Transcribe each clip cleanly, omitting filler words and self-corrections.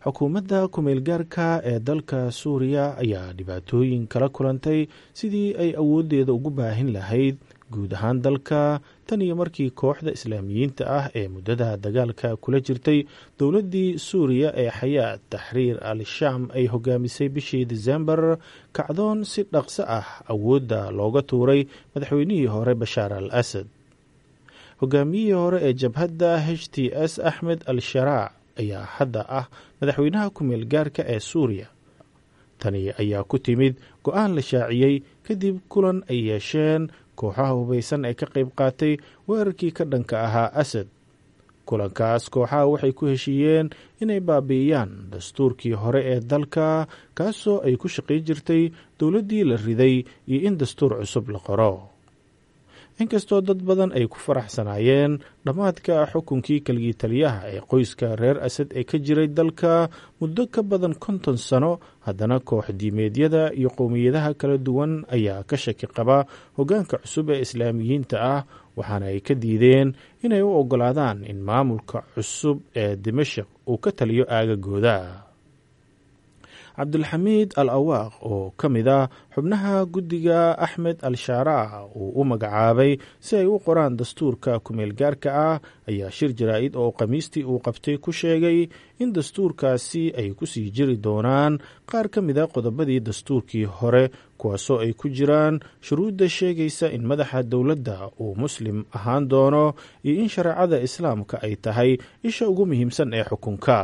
Xukuumadda kumeelgaarka ee dalka Suuriya ayaa dhibaatooyin kala kulantay sidii ay awooddeeda ugu baahin lahayd guud ahaan dalka, tan iyo markii kooxda Islaamiyiinta ah ee muddada dagaalka kula jirtay dowladdii Suuriya ee Xayaat Taxriir al Shaam ay hogaamisay bishii Disembar kacdoon si dhaqso ah awoodda looga tuuray madaxweynihii hore Bashaar al Asad. Hogaamiyihii hore ee jabhadda HTS, Axmed al Sharaac, ayaa hadda ah madaxweynaha kumeel gaarka ee Suuriya. Tani ayaa ku timid go-aan la shaaciyey kadib kulan ay yeesheen kooxaha hubaysan ee ka qayb qaatay weerarkii ka dhanka ahaa Asad. Kulankaas kooxaha waxay ku heshiiyeen inay baabi'iyaan dastuurkii hore ee dalka, kaasoo ay ku shaqayn jirtay dowladdii la riday, iyo in dastuur cusub la qoro. Inkastoo dad badan ay ku faraxsanaayeen dhammaadka xukunkii keligii taliyaha ee qoyska reer Asad ee ka jiray dalka muddo ka badan 50 sano, haddana koox diimeedyada iyo qowmiyadaha kala duwan ayaa ka shaki qaba hoggaanka cusub ee Islaamiyiinta ah, waxaana ay ka diideen inay u oggolaadaan in maamulka cusub ee Dimashik uu ka taliyo aagagooda. Cabdulxamiid al Awaaq, oo ka mid ah xubnaha guddiga Axmed al Shaaraac uu u magacaabay si ay u qoraan dastuurka kumeel gaarka ah, ayaa shir jaraa'id oo Khamiistii uu qabtay ku sheegay in dastuurkaasi ay ku sii jiri doonaan qaar ka mid a qodobadii dastuurkii hore, kuwaasoo ay ku jiraan shuruudda sheegaysa in madaxa dowladda uu Muslim ahaan doono iyo in shareecada Islaamka ay tahay isha ugu muhiimsan ee xukunka.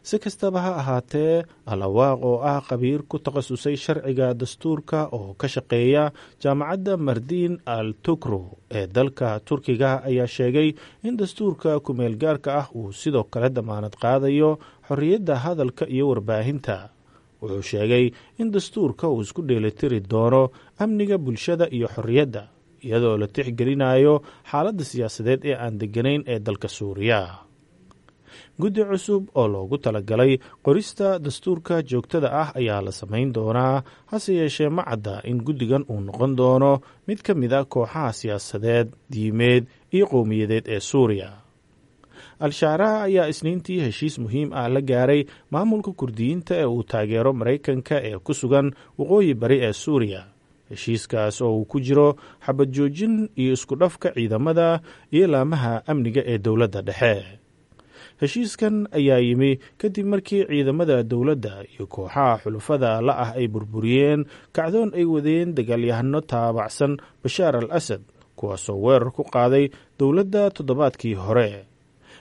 Si kastaba ha ahaatee, Al Awaaq, oo ah khabiir ku takhasusay sharciga dastuurka oo ka shaqeeya Jaamacadda Mardiin al Tukro ee dalka Turkiga, ayaa sheegay in dastuurka kumeel gaarka ah uu sidoo kale damaanad qaadayo xorriyadda hadalka iyo warbaahinta. Wuxuu sheegay in dastuurka uu isku dheelitiri doono amniga bulshada iyo xorriyadda, iyadoo la tixgelinayo xaaladda siyaasadeed ee aan degganayn ee dalka Suuriya. Guddi cusub oo loogu talagalay qorista dastuurka joogtada ah ayaa la samayn doonaa, hase yeeshee ma cadda in guddigan uu noqon doono mid ka mid a kooxaha siyaasadeed, diimeed iyo qowmiyadeed ee Suuriya. Al-Shaaraha ayaa Isniintii heshiis muhiim ah la gaaray maamulka Kurdiyiinta ee uu taageero Maraykanka ee ku sugan waqooyi bari ee Suuriya, heshiiskaas oo uu ku jiro xabad joojin iyo isku dhafka ciidamada iyo laamaha amniga ee dowladda dhexe. Heshiiskan ayaa yimi kadib markii ciidamada dowladda iyo kooxaha xulufada la ah ay burburiyeen kacdoon ay wadeen dagaalyahano taabacsan Bashaar al Asad, kuwaasoo weerar ku qaaday dowladda toddobaadkii hore.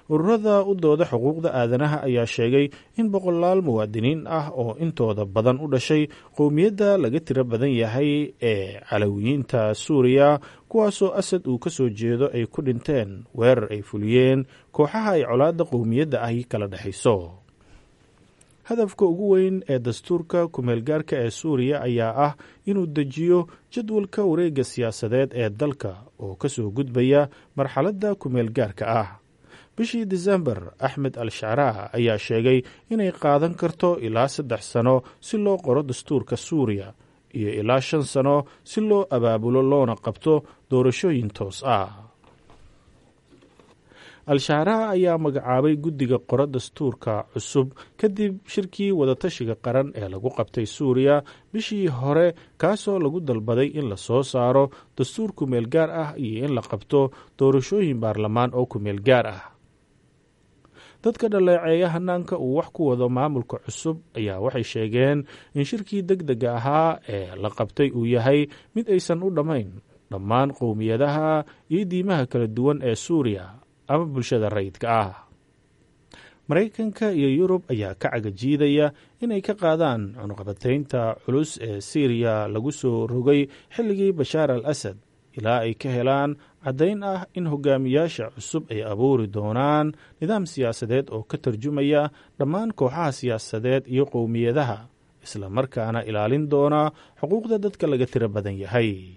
Ururada u dooda xuquuqda aadanaha ayaa sheegay in boqolaal muwaadiniin ah oo intooda badan u dhashay qowmiyadda laga tiro badan yahay ee Calawiyiinta Suuriya, kuwaasoo Asad uu ka soo jeedo, ay ku dhinteen weerar ay fuliyeen kooxaha ay colaadda qowmiyadda ahi kala dhexayso. Hadafka ugu weyn ee dastuurka kumeelgaarka ee Suuriya ayaa ah inuu dejiyo jadwalka wareegga siyaasadeed ee dalka oo ka soo gudbaya marxaladda kumeelgaarka ah. Bishii Disembar, Axmed al Shacraa ayaa sheegay inay qaadan karto ilaa 3 sano si loo qoro dastuurka Suuriya iyo ilaa 5 sano si loo abaabulo loona qabto doorashooyin toos ah. Al-Shaaraa ayaa magacaabay guddiga qoro dastuurka cusub kadib shirkii wadatashiga qaran ee lagu qabtay Suuriya bishii hore, kaasoo lagu dalbaday in la soo saaro dastuur kumeel gaar ah iyo in la qabto doorashooyin baarlamaan oo kumeel gaar ah. Dadka dhaleeceeya hanaanka uu wax ku wado maamulka cusub ayaa waxay sheegeen in shirkii deg dega ahaa ee la qabtay uu yahay mid aysan u dhammayn dhammaan qowmiyadaha iyo diimaha kala duwan ee Suuriya ama bulshada rayidka ah. Maraykanka iyo Yurub ayaa ka cagajiidaya inay ka qaadaan cunuqabataynta culus ee Siiriya lagu soo rogay xilligii Bashaar al Asad ilaa ay ka helaan caddayn ah in hogaamiyaasha cusub ay abuuri doonaan nidaam siyaasadeed oo ka tarjumaya dhammaan kooxaha siyaasadeed iyo qowmiyadaha, isla markaana ilaalin doona xuquuqda dadka laga tiro badan yahay.